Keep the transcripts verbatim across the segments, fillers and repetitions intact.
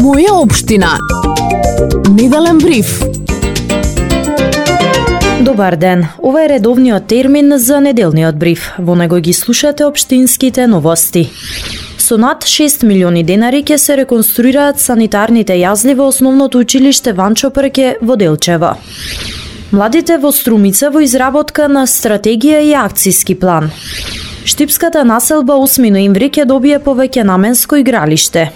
Моја општина. Неделен бриф. Добар ден. Ова е редовниот термин за неделниот бриф. Во него ги слушате општинските новости. Со над шест милиони денари ќе се реконструираат санитарните јазли во основното училиште Ванчо Прке во Делчево. Младите во Струмица во изработка на стратегија и акциски план. Штипската населба осми ноември ќе добие повеќе наменско игралиште.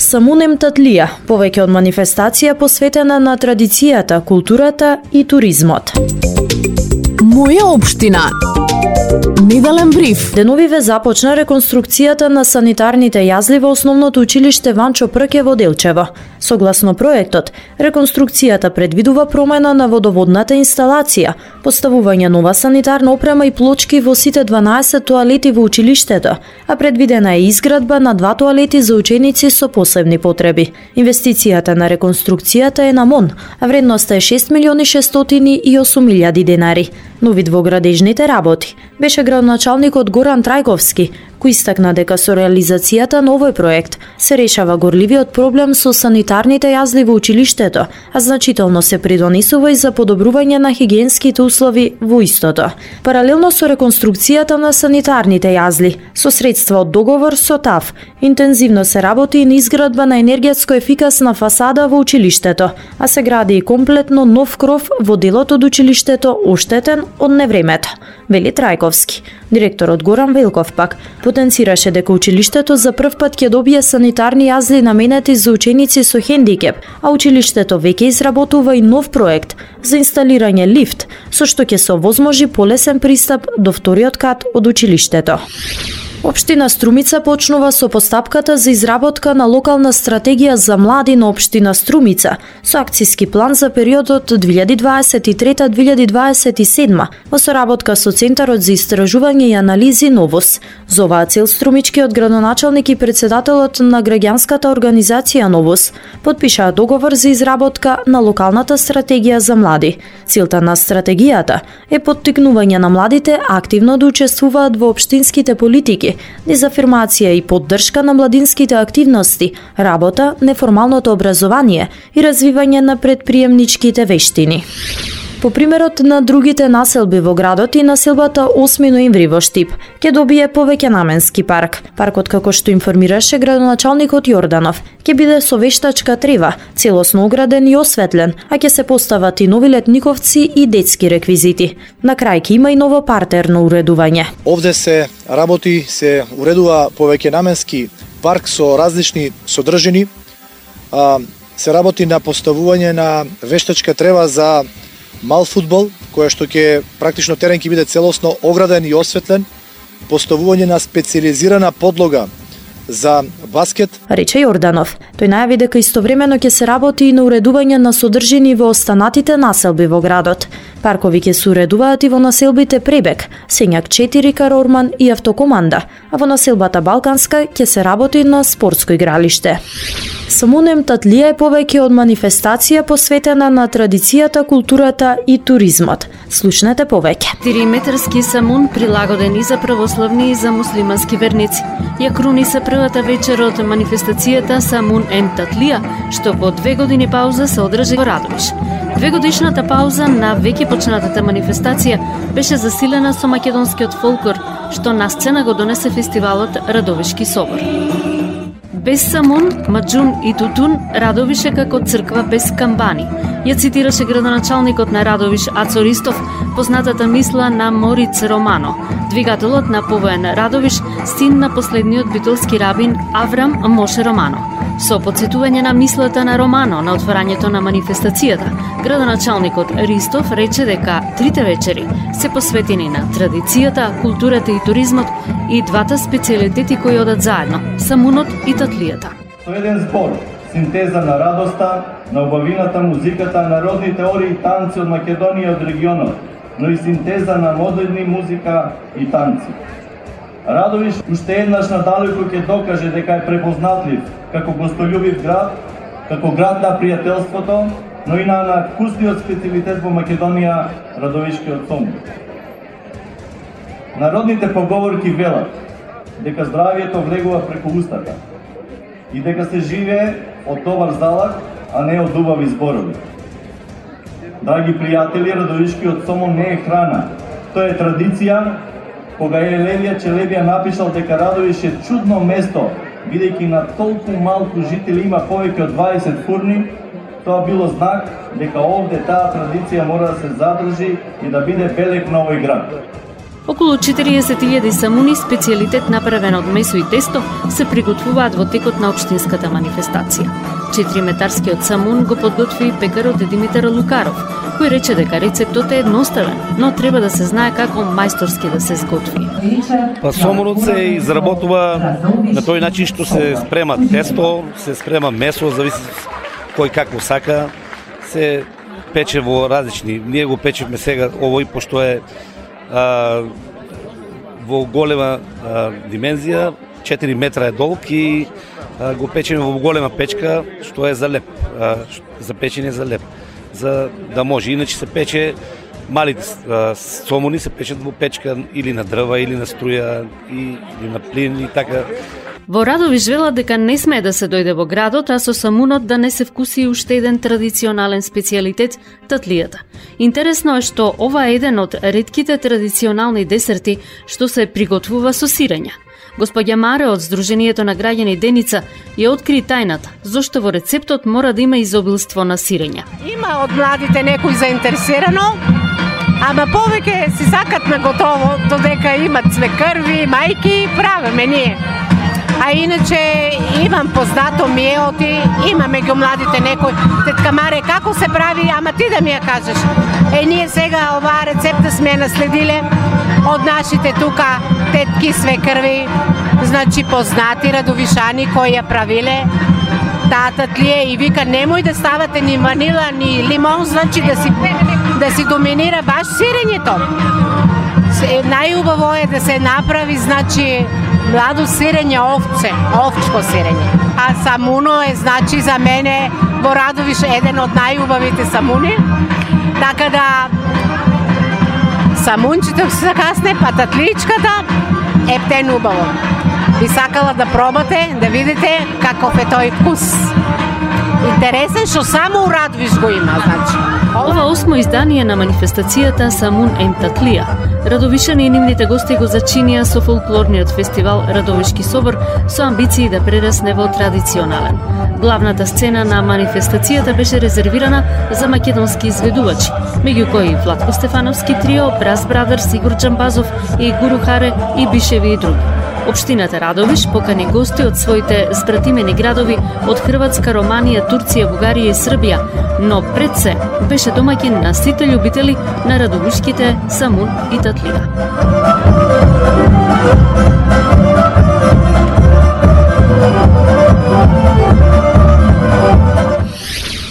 Самунем Татлија, повеќе од манифестација посветена на традицијата, културата и туризмот. Моја општина. Неделен бриф. Деновиве започна реконструкцијата на санитарните јазли во основното училиште Ванчо Прке во Делчево. Согласно проектот, реконструкцијата предвидува промена на водоводната инсталација, поставување нова санитарна опрема и плочки во сите дванаесет тоалети во училиштето, а предвидена е изградба на два тоалети за ученици со посебни потреби. Инвестицијата на реконструкцијата е на МОН, а вредноста е шест милиони шестстотини и осум илјади денари. Но вид во градежните работи беше градоначалникот Горан Трајковски, кој истакна дека со реализацијата на овој проект се решава горливиот проблем со санитарните јазли во училиштето, а значително се придонесува и за подобрување на хигиенските услови во истото. Паралелно со реконструкцијата на санитарните јазли, со средства од договор со ТАФ, интензивно се работи и на изградба на енергетско ефикасна фасада во училиштето, а се гради и комплетно нов кров во делот од училиштето оштетен од невремето, вели Трајковски. Директорот Горан Велков пак потенцираше дека училиштето за прв пат ќе добие санитарни јазли наменети за ученици со хендикеп, а училиштето веќе изработува и нов проект за инсталирање лифт, со што ќе се овозможи полесен пристап до вториот кат од училиштето. Општина Струмица почнува со постапката за изработка на локална стратегија за млади на општина Струмица со акциски план за периодот две илјади дваесет и трета до две илјади дваесет и седма во соработка со Центарот за истражување и анализи Новос. За оваа цел струмичкиот градоначалник и председателот на граѓанската организација Новос потпишаа договор за изработка на локалната стратегија за млади. Целта на стратегијата е поттикнување на младите активно да учествуваат во општинските политики, дезафирмација и поддршка на младинските активности, работа, неформалното образование и развивање на предприемничките вештини. По примерот на другите населби во градот и населбата осми ноември во Штип ќе добие повеќе наменски парк. Паркот, како што информираше градоначалникот Јорданов, ќе биде со вештачка трева, целосно ограден и осветлен, а ќе се постават и нови летниковци и детски реквизити. На крај ќе има и ново партерно уредување. Овде се работи, се уредува повеќе наменски парк со различни содржини. Се работи на поставување на вештачка трева за мал фудбал, која што ќе практично терен ќе биде целосно ограден и осветлен, поставување на специјализирана подлога за баскет. Рече Јорданов. Тој најави дека истовремено ќе се работи и на уредување на содржини во останатите населби во градот. Паркови ќе се уредуваат и во населбите Пребек, Сењак четири, Карорман и Автокоманда, а во населбата Балканска ќе се работи на спортско игралиште. Самунем Татлија е повеќе од манифестација посветена на традицијата, културата и туризмот. Слушнете повеќе. Триметарски самун прилагоден и за православни и за муслимански верници. Ја круни се првата вечер од манифестацијата Самун ем Татлија, што по две години пауза се одржи во Радовиш. Двегодишната пауза на веќе почнатата манифестација беше засилена со македонскиот фолклор, што на сцена го донесе фестивалот Радовишки собор. Без самун, маџун и тутун, Радовиш е како црква без камбани. Ја цитираше градоначалникот на Радовиш Ацо Ристов, познатата мисла на Мориц Романо, двигателот на повоен Радовиш, син на последниот битолски рабин Аврам Моше Романо. Со потсетување на мислата на Романо на отворањето на манифестацијата, градоначалникот Ристов рече дека трите вечери се посветени на традицијата, културата и туризмот и двата специјалитети кои одат заедно – самунот и татлијата. Со еден збор, синтеза на радоста, на убавината, музиката, народни теории и танци од Македонија и од регионот, но и синтеза на модерни музика и танци. Радовиш уште еднаш надалеку ќе докаже дека е препознатлив како гостолюбив град, како град на пријателството, но и на вкусниот специјалитет во Македонија, Радовишкиот сом. Народните поговорки велат дека здравието влегува преку устата и дека се живее од товар залак, а не од убави зборови. Драги пријатели, Радовишкиот сомон не е храна, тоа е традиција. Кога Елевија Челебија напишал дека Радовиш е чудно место, бидејќи на толку малку жители има повеќе од дваесет фурни, тоа било знак дека овде таа традиција мора да се задржи и да биде белег на овој град. Околу четириесет илјади самуни, специјалитет направен од месо и тесто, се приготвуваат во текот на општинската манифестација. Четириметарскиот самун го подготви пекарот Димитар Лукаров, кој рече дека рецептот е едноставен, но треба да се знае како мајсторски да се сготви. Па сомунот се изработува на тој начин што се спрема тесто, се спрема месо, зависи кој како сака, се пече во различни. Ние го печевме сега овој пошто е а, во голема а, димензија, четири метра е долг и а, го печеме во голема печка што е за леп, а, за печење за леп, за да може. Иначе се пече малите а, сомуни се печат во печка или на дрва или на струја и, или на плин и така. Во Радовиш велат дека не смее да се дојде во градот, а со самунот да не се вкуси уште еден традиционален специјалитет – татлијата. Интересно е што ова е еден од ретките традиционални десерти што се приготвува со сирење. Господја Маре од Сдруженијето на граѓани Деница ја откри тајната, зошто во рецептот мора да има изобилство на сирење. Има од младите некој заинтересирано, ама повеќе си сакат на готово, додека имат цвекрви, мајки, правиме ние. А иначе имам познато миеоти, има меѓу младите некој, тетка Маре, како се прави, ама ти да ми ја кажеш. Е, ние сега оваа рецепта сме наследиле од нашите тука тетки свекрви, значи познати радовишани кои ја правиле таа татлија и вика немој да ставате ни ванила, ни лимон, значи да си, да си доминира баш сирењето. Најубаво е да се направи, значи, младо сирење овце, овчко сирење. А самуно е, значи, за мене во Радовиш еден од најубавите самуни. Така да самунчето се закасне, па татличката е птен убаво. Би сакала да пробате, да видите каков е тој вкус. Интересен што само у Радовиш го има, значи. Ова осмо издание на манифестацијата Самун ен Татлија. Радовишани и нивните гости го зачинија со фолклорниот фестивал Радовишки собор со амбиции да прерасне во традиционален. Главната сцена на манифестацијата беше резервирана за македонски изведувачи, меѓу кои Владко Стефановски трио, Брас Брадерс, Игор Джамбазов и Гуру Харе и Бишеви и други. Општината Радовиш покани гости од своите збратимени градови од Хрватска, Романија, Турција, Бугарија и Србија, но пред се беше домаќин на сите љубители на радовишките самун и татлија.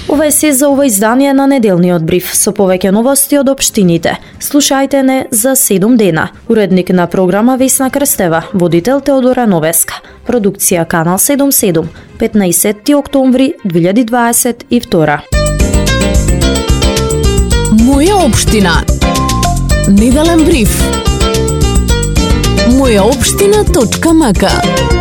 Ова е се за ова издание на неделниот бриф со повеќе новости од општините. Слушајте не за седум дена. Уредник на програма Весна Крстева, водител Теодора Новеска. Продукција Канал седумдесет и седум, петнаесетти октомври две илјади дваесет и втора. Моја општина. Неделен бриф. моја општина точка м к